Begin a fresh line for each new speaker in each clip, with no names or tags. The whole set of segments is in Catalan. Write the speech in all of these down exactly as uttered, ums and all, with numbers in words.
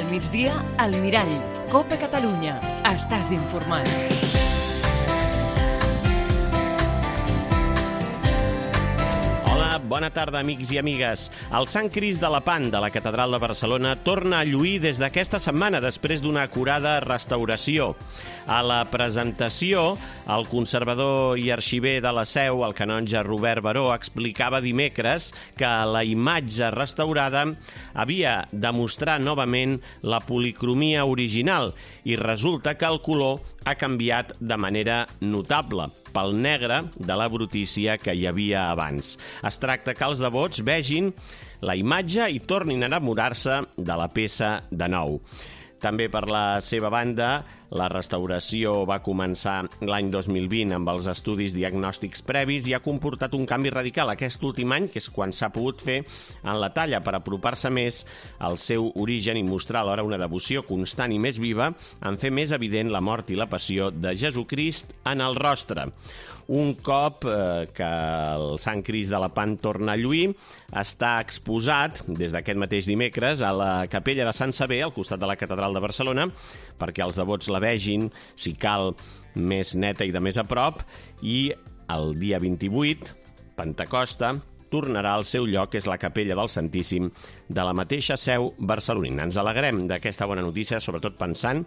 Al migdia, al Mirall. Copa Catalunya. Estàs informat.
Bona tarda, amics i amigues. El Sant Crist de la Pan de la Catedral de Barcelona torna a lluir des d'aquesta setmana, després d'una acurada restauració. A la presentació, el conservador i arxiver de la Seu, el canonge Robert Baró, explicava dimecres que la imatge restaurada havia de mostrar novament la policromia original i resulta que el color ha canviat de manera notable pel negre de la brutícia que hi havia abans. Es tracta que els devots vegin la imatge i tornin a enamorar-se de la peça de nou. També per la seva banda, la restauració va començar l'any dos mil vint amb els estudis diagnòstics previs i ha comportat un canvi radical aquest últim any, que és quan s'ha pogut fer en la talla per apropar-se més al seu origen i mostrar alhora una devoció constant i més viva en fer més evident la mort i la passió de Jesucrist en el rostre. Un cop eh, que el Sant Crist de la Pan torna a lluir, està exposat des d'aquest mateix dimecres a la capella de Sant Sever, al costat de la Catedral de Barcelona, perquè els devots la vegin, si cal, més neta i de més a prop, i el dia vint-i-vuit, Pentecosta, tornarà al seu lloc, que és la capella del Santíssim de la mateixa Seu barcelonina. Ens alegrem d'aquesta bona notícia, sobretot pensant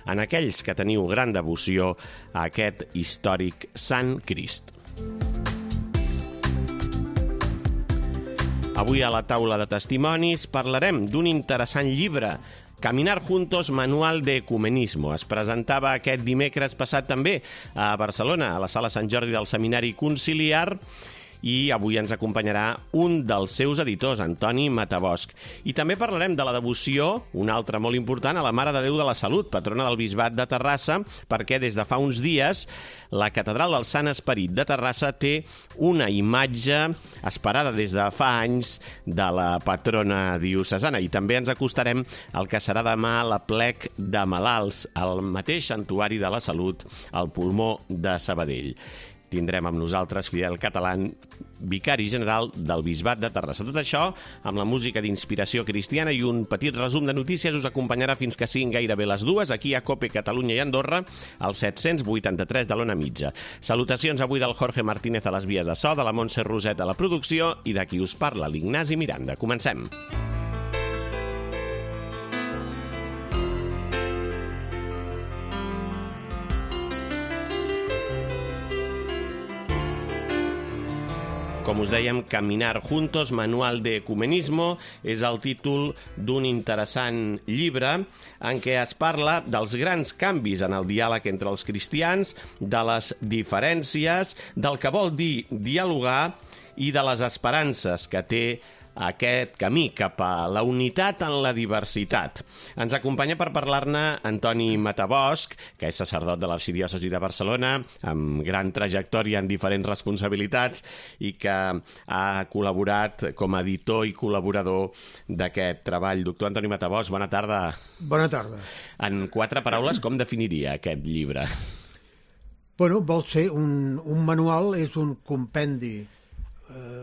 en aquells que teniu gran devoció a aquest històric Sant Crist. Avui a la taula de testimonis parlarem d'un interessant llibre, Caminar Juntos, Manual de Ecumenismo. Es presentava aquest dimecres passat també a Barcelona, a la Sala Sant Jordi del Seminari Conciliar, i avui ens acompanyarà un dels seus editors, Antoni Matabosch. I també parlarem de la devoció, una altra molt important, a la Mare de Déu de la Salut, patrona del Bisbat de Terrassa, perquè des de fa uns dies la Catedral del Sant Esperit de Terrassa té una imatge esperada des de fa anys de la patrona diocesana. I també ens acostarem al que serà demà l'Aplec de Malalts, al mateix Santuari de la Salut, al Pulmó de Sabadell. Tindrem amb nosaltres Fidel Catalán, vicari general del Bisbat de Terrassa. Tot això, amb la música d'inspiració cristiana i un petit resum de notícies, us acompanyarà fins que siguin gairebé les dues, aquí a Cope Catalunya i Andorra, al set-cents vuitanta-tres de l'Ona Mitja. Salutacions avui del Jorge Martínez a les vies de so, de la Montse Roset a la producció i de qui us parla, l'Ignasi Miranda. Comencem. Com us dèiem, Caminar Juntos, Manual de Ecumenismo, és el títol d'un interessant llibre en què es parla dels grans canvis en el diàleg entre els cristians, de les diferències, del que vol dir dialogar i de les esperances que té aquest camí cap a la unitat en la diversitat. Ens acompanya per parlar-ne Antoni Matabosch, que és sacerdot de l'Arxidiòcesi de Barcelona, amb gran trajectòria en diferents responsabilitats i que ha col·laborat com a editor i col·laborador d'aquest treball. Doctor Antoni Matabosch, bona tarda.
Bona tarda.
En quatre paraules, com definiria aquest llibre?
Bueno, vol ser un, un manual, és un compendi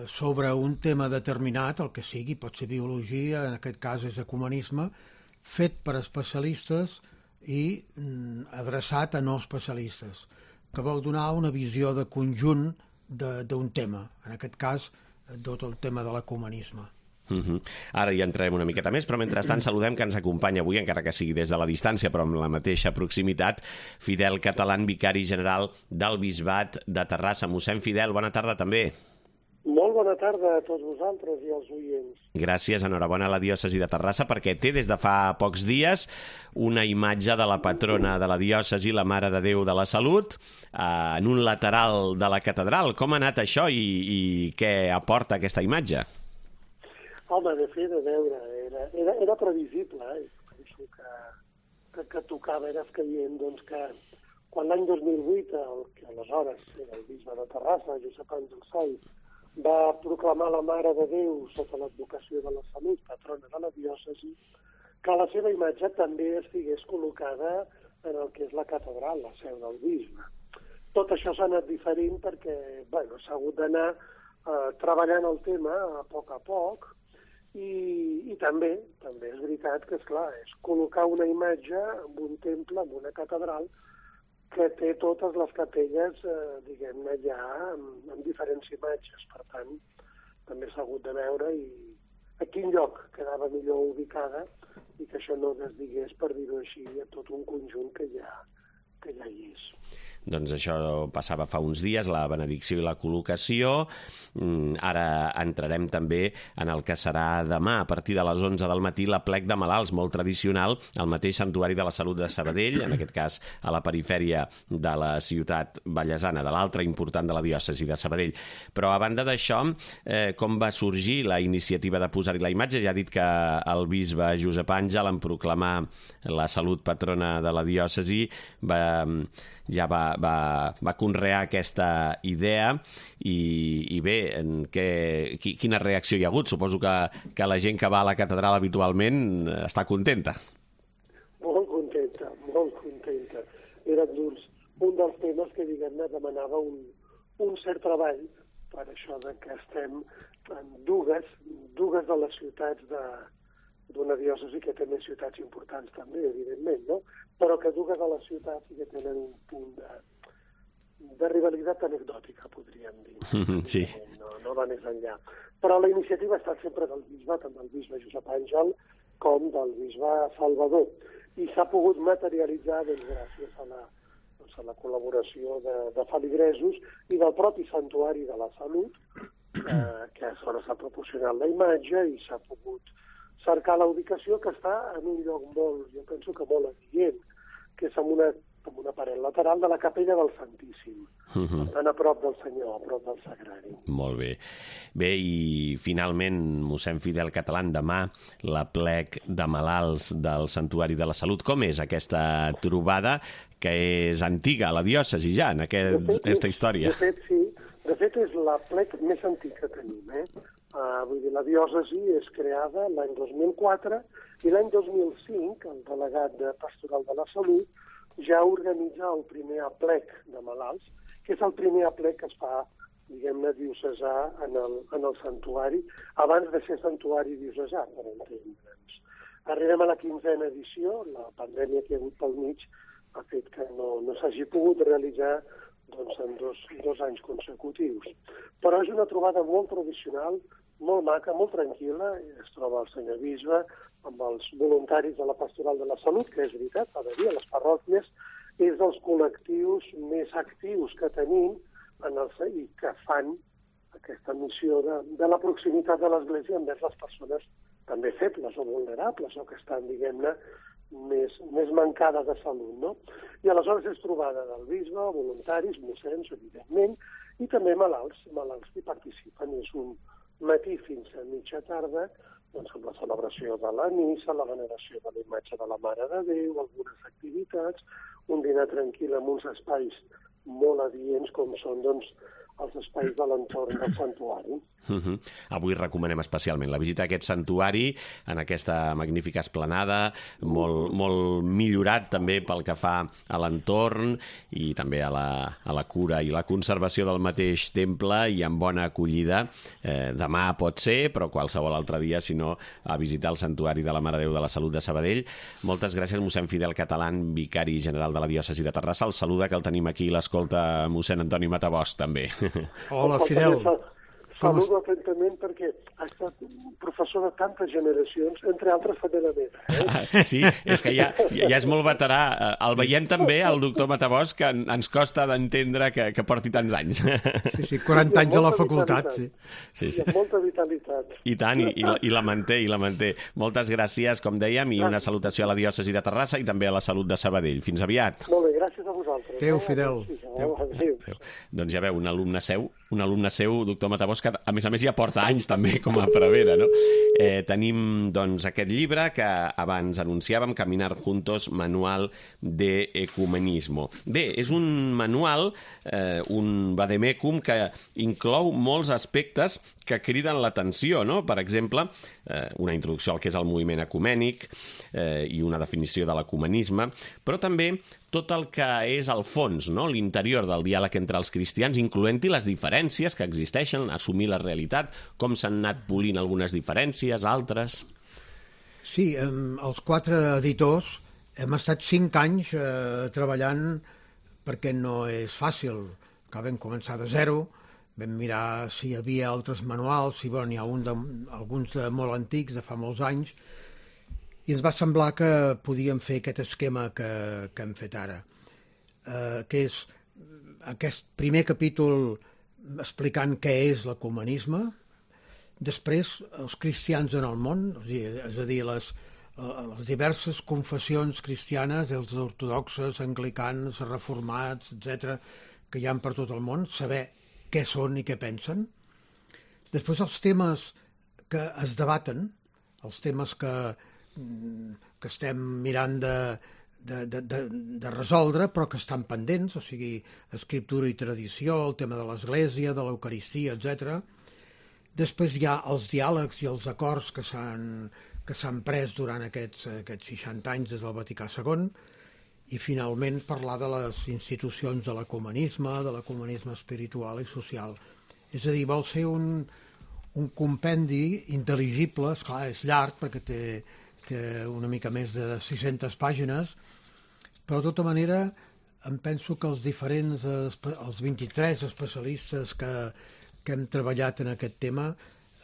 sobre un tema determinat, el que sigui, pot ser biologia, en aquest cas és ecumenisme, fet per especialistes i mm, adreçat a no especialistes, que vol donar una visió de conjunt d'un tema, en aquest cas tot el tema de l'ecumenisme.
Uh-huh. Ara hi entrarem una miqueta més, però mentrestant saludem que ens acompanya avui, encara que sigui des de la distància, però amb la mateixa proximitat, Fidel Catalán, vicari general del Bisbat de Terrassa. Mossèn Fidel, bona tarda també.
Molt bona tarda a tots vosaltres i als oients.
Gràcies, enhorabona a la diòcesi de Terrassa, perquè té des de fa pocs dies una imatge de la patrona de la diòcesi, la Mare de Déu de la Salut, eh, en un lateral de la catedral. Com ha anat això i, i què aporta aquesta imatge?
Home, de fet, a veure, era, era, era previsible, eh? Penso que, que, que tocava, era escaient, doncs que quan l'any dos mil vuit, el que aleshores era el bisbe de Terrassa, Josep Àngel Soy, va proclamar la Mare de Déu sota l'advocació de la Salut, patrona de la diòcesi, que la seva imatge també estigués col·locada en el que és la catedral, la seu del bisbe. Tot això s'ha anat diferint perquè bueno, s'ha hagut d'anar eh, treballant el tema a poc a poc I, i també, també és veritat que, esclar, és col·locar una imatge en un temple, en una catedral, que té totes les capelles, eh, diguem-ne, ja amb, amb diferents imatges. Per tant, també s'ha hagut de veure i a quin lloc quedava millor ubicada i que això no desdigués, per dir-ho així, a tot un conjunt que ja, que ja hi és.
Doncs això passava fa uns dies, la benedicció i la col·locació. Ara entrarem també en el que serà demà, a partir de les onze del matí, la plec de malalts, molt tradicional, al mateix Santuari de la Salut de Sabadell, en aquest cas a la perifèria de la ciutat vallesana, de l'altra important de la diòcesi de Sabadell. Però a banda d'això, eh, com va sorgir la iniciativa de posar-hi la imatge? Ja ha dit que el bisbe Josep Àngel, en proclamar la salut patrona de la diòcesi, va... ja va, va, va conrear aquesta idea i, i bé, en què, quina reacció hi ha hagut? Suposo que, que la gent que va a la catedral habitualment està contenta.
Molt contenta, molt contenta. Era doncs, un dels temes que, diguem-ne, demanava un, un cert treball per això de que estem en dues, dues de les ciutats de d'una diòcesi que té més ciutats importants també, evidentment, no? Però que dues de les ciutats sí que tenen un punt de, de rivalitat anecdòtica, podríem dir.
Sí.
No, no va més enllà. Però la iniciativa ha estat sempre del bisbe, tant del bisbe Josep Àngel com del bisbe Salvador. I s'ha pogut materialitzar doncs, gràcies a la, doncs, a la col·laboració de, de feligresos i del propi Santuari de la Salut, eh, que aleshores s'ha proporcionat la imatge i s'ha pogut cercar la ubicació, que està en un lloc molt, jo penso que molt adient, que és en una, en una paret lateral de la capella del Santíssim, uh-huh. Tan a prop del Senyor, a prop del Sagrari.
Molt bé. Bé, i finalment, mossèn Fidel Catalán, demà la plec de malalts del Santuari de la Salut. Com és aquesta trobada, que és antiga a la diòcesi ja, en aquest, fet, aquesta història?
De fet, sí. De fet, és la plec més antiga que tenim, eh? Uh, vull dir, la diòcesi és creada l'any dos mil quatre i l'any dos mil cinc el delegat de Pastoral de la Salut ja organitza el primer aplec de malalts, que és el primer aplec que es fa, diguem-ne, diocesà en el, en el santuari, abans de ser santuari diocesà, per entendre'ns. Arribem a la quinzena edició, la pandèmia que hi ha hagut pel mig ha fet que no, no s'hagi pogut realitzar doncs, en dos, dos anys consecutius. Però és una trobada molt tradicional, molt maca, molt tranquil·la. Es troba el senyor bisbe amb els voluntaris de la Pastoral de la Salut, que és veritat, ha de dir, a les parròquies, és dels col·lectius més actius que tenim en el, i que fan aquesta missió de, de la proximitat de l'Església envers les persones també febles o vulnerables o que estan, diguem-ne, més, més mancades de salut, no? I aleshores és trobada del bisbe, voluntaris, mossens, evidentment, i també malalts, malalts que participen. És un matí fins a mitja tarda, doncs amb la celebració de la missa, la veneració de la imatge de la Mare de Déu, algunes activitats, un dinar tranquil amb uns espais molt adients com són, doncs, els espais de l'entorn del santuari.
Uh-huh. Avui recomanem especialment la visita a aquest santuari, en aquesta magnífica esplanada, molt, molt millorat també pel que fa a l'entorn i també a la, a la cura i la conservació del mateix temple i amb bona acollida. Eh, demà pot ser, però qualsevol altre dia, si no, a visitar el santuari de la Mare de Déu de la Salut de Sabadell. Moltes gràcies, mossèn Fidel Catalán, vicari general de la diòcesi de Terrassa. El saluda, que el tenim aquí, l'escolta mossèn Antoni Matabosc, també.
Hola, Fidel.
Saludo atentament perquè ha estat professor de tantes generacions, entre altres també la meva. Eh?
Ah, sí, és que ja, ja és molt veterà. El veiem també, el doctor Matabosc, que ens costa d'entendre que, que porti tants anys.
Sí, sí, quaranta anys a la facultat, sí.
Sí, sí. I amb molta vitalitat.
I tant, i, i, la, i la manté, i la manté. Moltes gràcies, com dèiem, i una salutació a la diòcesi de Terrassa i també a la Salut de Sabadell. Fins aviat.
Molt bé, gràcies a vosaltres.
Adéu, Fidel.
Adéu. Adéu.
Adéu. Doncs ja veu, un alumne seu, un alumne seu, doctor Matabosc, que a més a més ja porta anys també com a prevera, no? Eh, tenim, doncs, aquest llibre que abans anunciàvem, Caminar Juntos, Manual de Ecumenismo. Bé, és un manual, eh, un vademecum que inclou molts aspectes que criden l'atenció, no? Per exemple, eh, una introducció al que és el moviment ecumènic eh, i una definició de l'ecumenisme, però també tot el que és el fons, no? L'interior interior del diàleg entre els cristians, incloent-hi les diferències que existeixen, assumir la realitat, com s'han anat polint algunes diferències, altres...
Sí, eh, els quatre editors hem estat cinc anys eh, treballant perquè no és fàcil, que vam començar de zero, vam mirar si hi havia altres manuals, si bueno, n'hi ha un de, alguns de molt antics, de fa molts anys, i ens va semblar que podíem fer aquest esquema que, que hem fet ara, eh, que és aquest primer capítol explicant què és l'ecumenisme, després els cristians en el món, és a dir, les, les diverses confessions cristianes, els ortodoxes, anglicans, reformats, etcètera, que hi ha per tot el món, saber què són i què pensen. Després els temes que es debaten, els temes que, que estem mirant de, de, de, de, de resoldre, però que estan pendents, o sigui, escriptura i tradició, el tema de l'Església, de l'Eucaristia, etcètera. Després hi ha els diàlegs i els acords que s'han que s'han pres durant aquests, aquests seixanta anys des del Vaticà segon, i finalment parlar de les institucions de l'ecumenisme, de l'ecumenisme espiritual i social. És a dir, vol ser un, un compendi intel·ligible, esclar, és llarg perquè té, té una mica més de sis-centes pàgines, però de tota manera em penso que els diferents, els vint-i-tres especialistes que que hem treballat en aquest tema,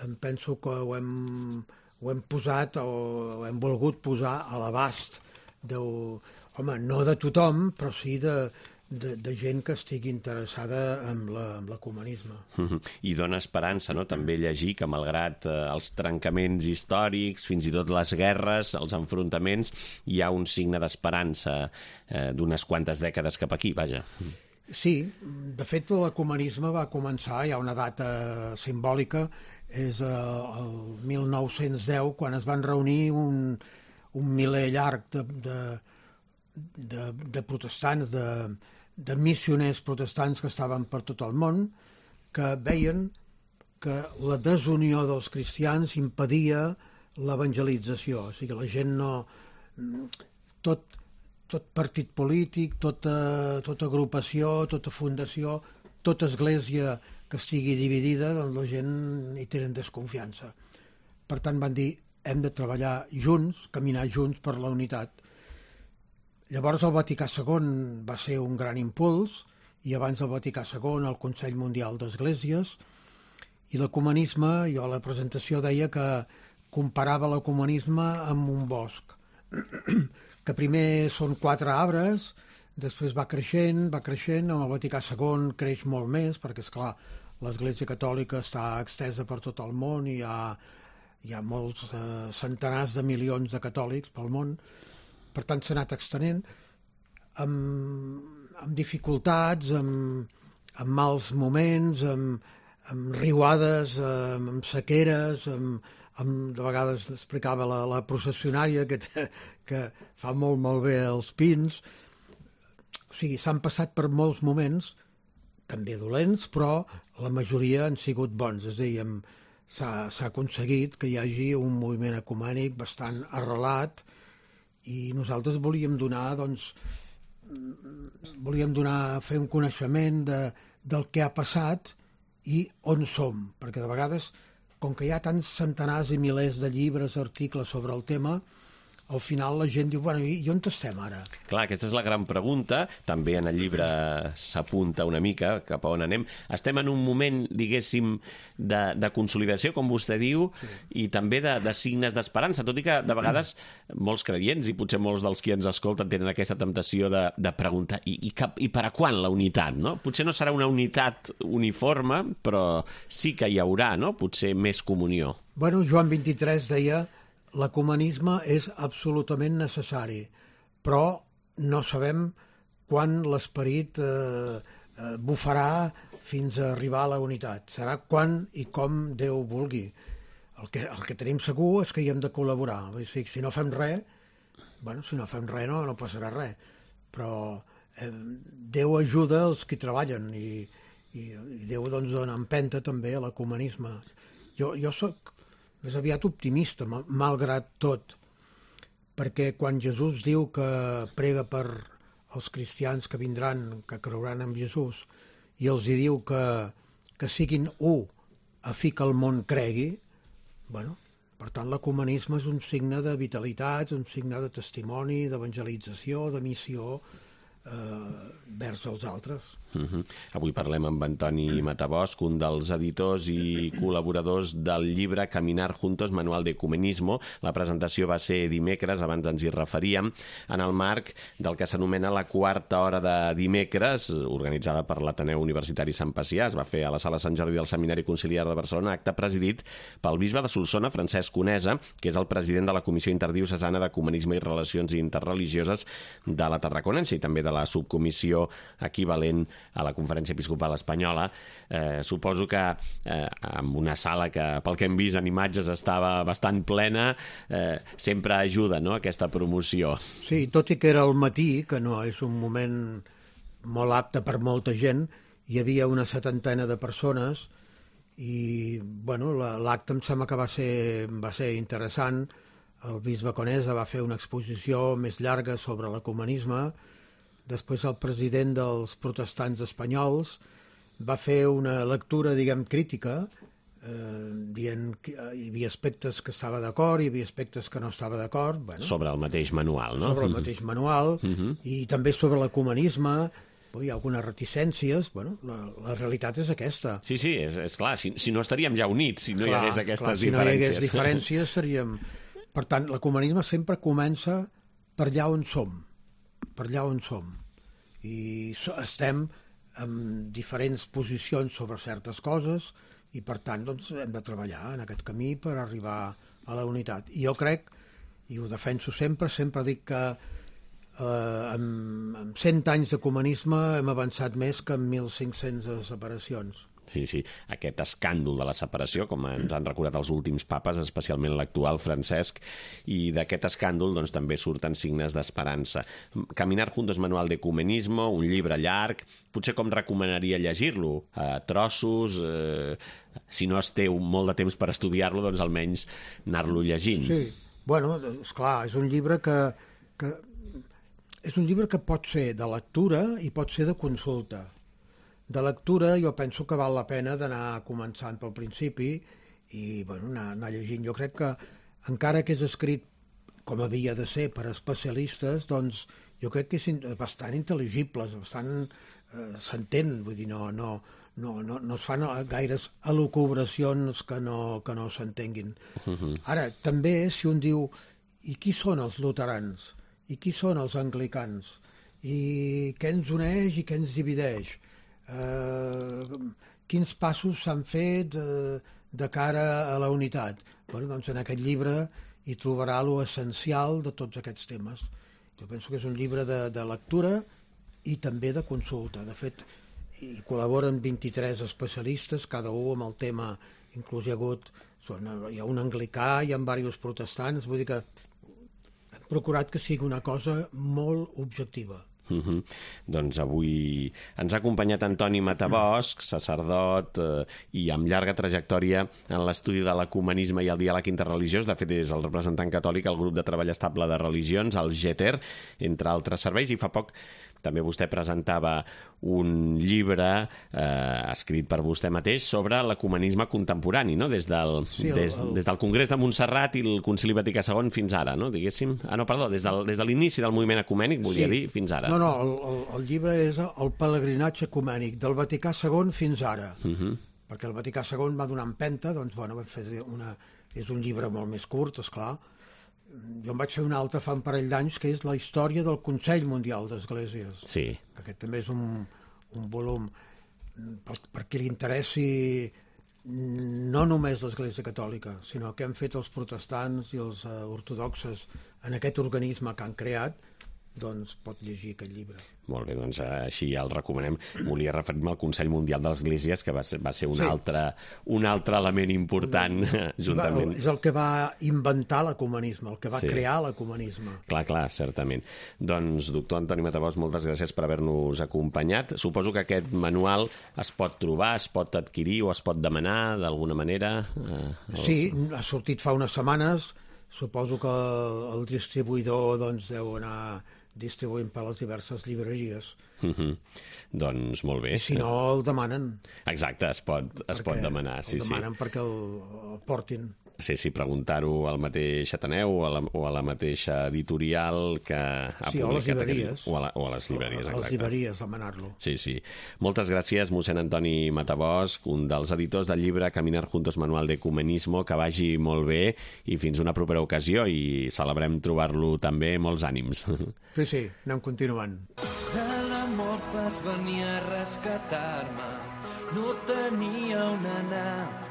em penso que ho hem, ho hem posat o ho hem volgut posar a l'abast de, home, no de tothom, però sí de, de, de gent que estigui interessada en l'ecumenisme.
I dona esperança, no?, també llegir que malgrat eh, els trencaments històrics, fins i tot les guerres, els enfrontaments, hi ha un signe d'esperança eh, d'unes quantes dècades cap aquí, vaja.
Sí, de fet l'ecumenisme va començar, hi ha una data simbòlica, és el mil nou-cents deu, quan es van reunir un, un miler llarg de, de, de, de protestants, de, de missioners protestants que estaven per tot el món, que veien que la desunió dels cristians impedia l'evangelització, o sigui, la gent no... tot tot partit polític, tota, tota agrupació, tota fundació, tota església que estigui dividida, doncs la gent hi tenen desconfiança. Per tant, van dir, hem de treballar junts, caminar junts per la unitat. Llavors el Vaticà segon va ser un gran impuls, i abans del Vaticà segon el Consell Mundial d'Esglésies, i l'ecumenisme, jo a la presentació deia que comparava l'ecumenisme amb un bosc, que primer són quatre arbres, després va creixent, va creixent, amb el Vaticà segon creix molt més, perquè, esclar, l'Església Catòlica està extesa per tot el món i hi ha, hi ha molts eh, centenars de milions de catòlics pel món, per tant s'ha anat extenent, amb, amb dificultats, amb, amb mals moments, amb, amb riuades, amb, amb sequeres, amb, amb, de vegades explicava la, la processionària que, que fa molt molt bé els pins. O sigui, s'han passat per molts moments, també dolents, però la majoria han sigut bons. És a dir, s'ha aconseguit que hi hagi un moviment ecumènic bastant arrelat i nosaltres volíem donar, doncs, volíem donar, fer un coneixement de, del que ha passat i on som, perquè de vegades, com que hi ha tants centenars i milers de llibres, articles sobre el tema, al final la gent diu, bueno, i on estem ara?
Clar, aquesta és la gran pregunta. També en el llibre s'apunta una mica cap a on anem. Estem en un moment, diguéssim, de, de consolidació, com vostè diu, sí. I també de, de signes d'esperança, tot i que de vegades molts creients, i potser molts dels qui ens escolten tenen aquesta temptació de, de preguntar i, i, cap, i per a quan la unitat, no? Potser no serà una unitat uniforme, però sí que hi haurà, no?, potser més comunió.
Bueno, Joan vint-i-tres deia l'ecumenisme és absolutament necessari, però no sabem quan l'esperit eh, eh, bufarà fins a arribar a la unitat. Serà quan i com Déu vulgui. El que, el que tenim segur és que hi hem de col·laborar. Vull dir, si no fem res, bueno, si no fem res no, no passarà res. Però eh, Déu ajuda els que treballen i, i, i Déu doncs, dona empenta també a l'ecumenisme. Jo, jo soc més aviat optimista, malgrat tot, perquè quan Jesús diu que prega per als cristians que vindran, que creuran en Jesús, i els hi diu que, que siguin u a fi que el món cregui, bueno, per tant, l'ecumenisme és un signe de vitalitat, un signe de testimoni, d'evangelització, de missió eh, vers els altres.
Uh-huh. Avui parlem amb Antoni Matabosc, un dels editors i col·laboradors del llibre Caminar Juntos, Manual de Ecumenismo. La presentació va ser dimecres, abans ens hi referíem, en el marc del que s'anomena la quarta hora de dimecres, organitzada per l'Ateneu Universitari Sant Pacià. Es va fer a la Sala Sant Jordi del Seminari Conciliar de Barcelona, acte presidit pel bisbe de Solsona, Francesc Conesa, que és el president de la Comissió Interdiocesana d'Ecumenisme i Relacions Interreligioses de la Tarraconense i també de la subcomissió equivalent a la Conferència Episcopal Espanyola. Eh, suposo que eh, amb una sala que, pel que hem vist en imatges, estava bastant plena, eh, sempre ajuda, no?, aquesta promoció.
Sí, tot i que era al matí, que no és un moment molt apte per molta gent, hi havia una setantena de persones i, bueno, l'acte em sembla que va ser, va ser interessant. El bisbe Conesa va fer una exposició més llarga sobre l'ecumenisme. Després el president dels protestants espanyols va fer una lectura, diguem, crítica, eh, dient que hi havia aspectes que estava d'acord, hi havia aspectes que no estava d'acord. Bueno,
sobre el mateix manual, no?
Sobre el mateix manual, uh-huh. I també sobre l'ecumenisme. Hi ha algunes reticències. Bueno, la, la realitat és aquesta.
Sí, sí, és, és clar. Si, si no estaríem ja units, si no clar, hi hagués aquestes
clar, si
diferències.
Si no hi hagués diferències, seríem... Per tant, l'ecumenisme sempre comença per allà on som. per allà on som. I estem en diferents posicions sobre certes coses i, per tant, doncs, hem de treballar en aquest camí per arribar a la unitat. I jo crec, i ho defenso sempre, sempre dic que eh, en, en cent anys d'ecumenisme hem avançat més que en mil cinc-centes separacions.
Sí, sí, aquest escàndol de la separació, com ens han recordat els últims papes, especialment l'actual Francesc, i d'aquest escàndol doncs, també surten signes d'esperança. Caminar Juntos, Manual de Ecumenismo, un llibre llarg, potser com recomanaria llegir-lo? A trossos, eh, si no es té molt de temps per estudiar-lo, doncs almenys anar-lo llegint.
Sí, bueno, esclar, és un llibre que, que és un llibre que pot ser de lectura i pot ser de consulta. De lectura jo penso que val la pena d'anar començant pel principi i bueno, anar, anar llegint. Jo crec que encara que és escrit com havia de ser per especialistes, doncs jo crec que és bastant intel·ligible, bastant eh, s'entén, vull dir, no, no, no, no, no es fan gaires elucubracions que no, que no s'entenguin. Uh-huh. Ara, també si un diu, i qui són els luterans? I qui són els anglicans? I què ens uneix i què ens divideix? Uh, quins passos s'han fet uh, de cara a la unitat? Bueno, doncs en aquest llibre hi trobarà l'essencial de tots aquests temes. Jo penso que és un llibre de, de lectura i també de consulta. De fet, hi col·laboren vint-i-tres especialistes, cada un amb el tema, inclús hi ha hagut, hi ha un anglicà, hi ha diversos protestants, vull dir que hem procurat que sigui una cosa molt objectiva.
Uh-huh. Doncs avui ens ha acompanyat Antoni Matabosc, sacerdot eh, i amb llarga trajectòria en l'estudi de l'ecumenisme i el diàleg interreligiós. De fet, és el representant catòlic al grup de treball estable de religions, el G E T E R, entre altres serveis, i fa poc també vostè presentava un llibre eh, escrit per vostè mateix sobre l'ecumenisme contemporani, no? Des del, sí, el, des, el... des del Congrés de Montserrat i el Concili Vaticà segon fins ara, no? Diguéssim. Ah, no, perdó, des, del, des de l'inici del moviment ecumènic, volia sí. dir, fins ara.
No, no, el, el, el llibre és el pelegrinatge ecumènic, del Vaticà segon fins ara. Uh-huh. Perquè el Vaticà segon va donar empenta, doncs, bueno, va fer una... és un llibre molt més curt, esclar. Jo em vaig fer un altre fa un parell d'anys, que és la història del Consell Mundial d'Esglésies.
Sí.
Aquest també és un, un volum per, per qui li interessi no només l'Església Catòlica, sinó què han fet els protestants i els uh, ortodoxes en aquest organisme que han creat, doncs pot llegir aquest llibre.
Molt bé, doncs així el recomanem. Volia referir-me al Consell Mundial de l'Esglésies, que va ser, va ser un, sí. altre, un altre element important no. juntament.
És el que va inventar l'ecumenisme, el que va sí. crear l'ecumenisme.
Clar, clar, certament. Doncs, doctor Antoni Matabosc, moltes gràcies per haver-nos acompanyat. Suposo que aquest manual es pot trobar, es pot adquirir o es pot demanar d'alguna manera? Eh, els...
Sí, ha sortit fa unes setmanes. Suposo que el, el distribuïdor doncs, deu anar... distribuint per les diverses llibreries.
Uh -huh. Doncs molt bé.
I si no, el demanen.
Exacte, es pot, es pot demanar. Sí,
el demanen
sí.
perquè el, el portin.
Sí, sí, preguntar-ho al mateix Ateneu o a la, o a la mateixa editorial que ha
sí,
publicat...
o a les llibreries.
Aquest... O, a la, o a les llibreries, exacte.
A les llibreries, demanar-lo.
Sí, sí. Moltes gràcies, mossèn Antoni Matabosc, un dels editors del llibre Caminar Juntos, Manual de Ecumenismo, que vagi molt bé i fins una propera ocasió i celebrem trobar-lo també molts ànims.
Sí, sí, anem continuant.
De la mort vas venir a rescatar-me, no tenia on anar.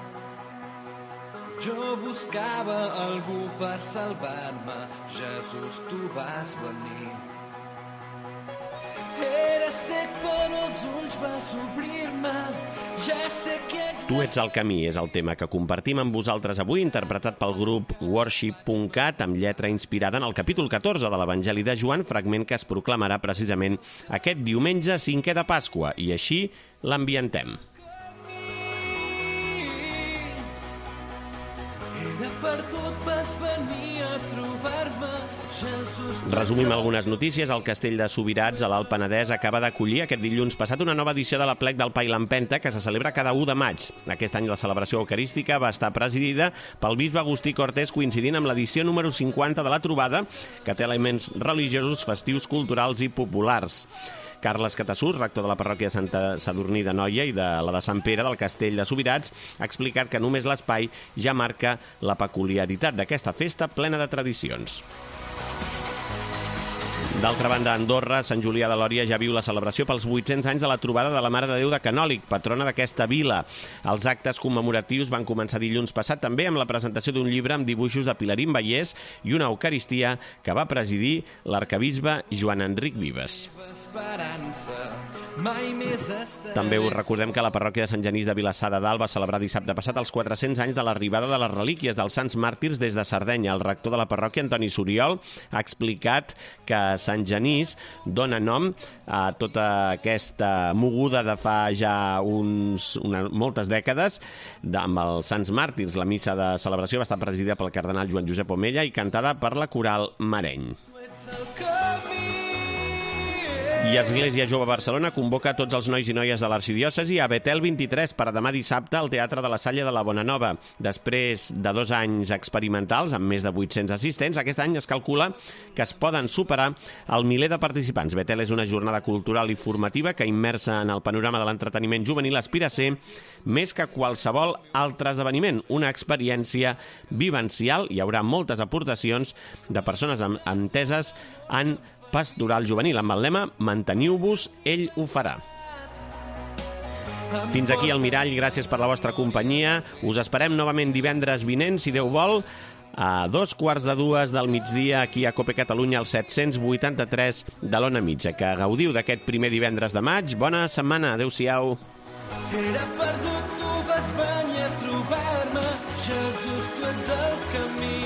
Jo buscava algú per salvar-me, Jesús, tu vas venir. Era cec però els ulls vas obrir-me, ja sé que ets...
Tu ets el camí és el tema que compartim amb vosaltres avui, interpretat pel grup worship punt cat, amb lletra inspirada en el capítol catorze de l'Evangeli de Joan, fragment que es proclamarà precisament aquest diumenge cinquè de Pasqua, i així l'ambientem.
Perdut vas venir a trobar-me, Jesús...
Resumim algunes notícies. El Castell de Subirats, a l'Alt Penedès, acaba d'acollir aquest dilluns passat una nova edició de l'Aplec del Pa i l'Empenta, que se celebra cada u de maig. Aquest any la celebració eucarística va estar presidida pel bisbe Agustí Cortés, coincidint amb l'edició número cinquanta de la trobada, que té elements religiosos, festius, culturals i populars. Carles Catassús, rector de la parròquia de Santa Sadurní de Noia i de la de Sant Pere del Castell de Subirats, ha explicat que només l'espai ja marca la peculiaritat d'aquesta festa plena de tradicions. D'altra banda, a Andorra, Sant Julià de Lòria ja viu la celebració pels vuit-cents anys de la trobada de la Mare de Déu de Canòlic, patrona d'aquesta vila. Els actes commemoratius van començar dilluns passat també amb la presentació d'un llibre amb dibuixos de Pilarín Vallès i una eucaristia que va presidir l'arquebisbe Joan Enric Vives. També us recordem que la parròquia de Sant Genís de Vilassar de Dalt va celebrar dissabte passat els quatre-cents anys de l'arribada de les relíquies dels Sants Màrtirs des de Sardenya. El rector de la parròquia, Antoni Soriol, ha explicat que Sant Genís dona nom a tota aquesta moguda de fa ja uns, una, moltes dècades de, amb els Sants Màrtirs. La missa de celebració va estar presidida pel cardenal Joan Josep Omella i cantada per la coral Mareny. I Església Jove Barcelona convoca a tots els nois i noies de l'arxidiòcesi a Betel vint-i-tres per a demà dissabte al Teatre de la Salle de la Bonanova. Després de dos anys experimentals, amb més de vuit-cents assistents, aquest any es calcula que es poden superar el miler de participants. Betel és una jornada cultural i formativa que, immersa en el panorama de l'entreteniment juvenil, aspira a ser més que qualsevol altre esdeveniment, una experiència vivencial. Hi haurà moltes aportacions de persones enteses en pastoral juvenil, amb el lema "Manteniu-vos, ell ho farà". Fins aquí el Mirall, gràcies per la vostra companyia. Us esperem novament divendres vinent, si Déu vol, a dos quarts de dues del migdia aquí a Cope Catalunya, al set-cents vuitanta-tres de l'Ona Mitja. Que gaudiu d'aquest primer divendres de maig. Bona setmana, adeu-siau.
Era perdut, tu vas venir a trobar-me, Jesús, tu ets el camí,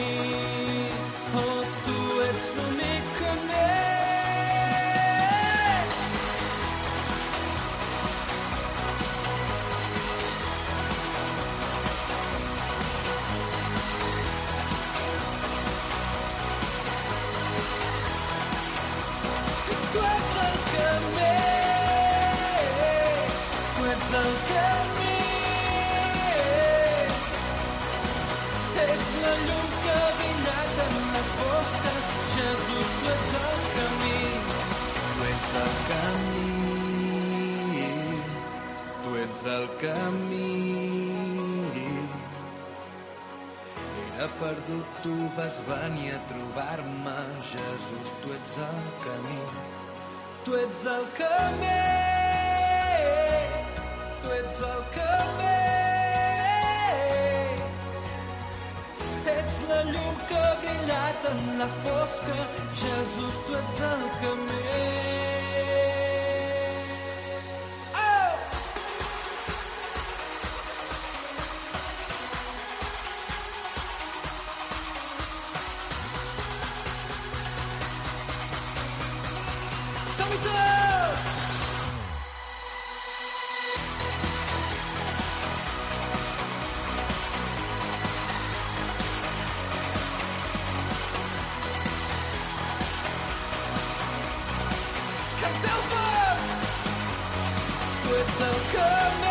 oh, tu ets l'únic camí. Tu ets el camí, tu ets el camí, ets la llum que ha brillat en la fosca, Jesús, tu ets el camí, tu ets el camí, tu ets el camí. Era perdut, tu vas venir a trobar-me, Jesús, tu ets el camí. Tu ets el camí, tu ets el camí, ets la llum que ha brillat en la fosca, Jesús, tu ets el camí. ets el camí.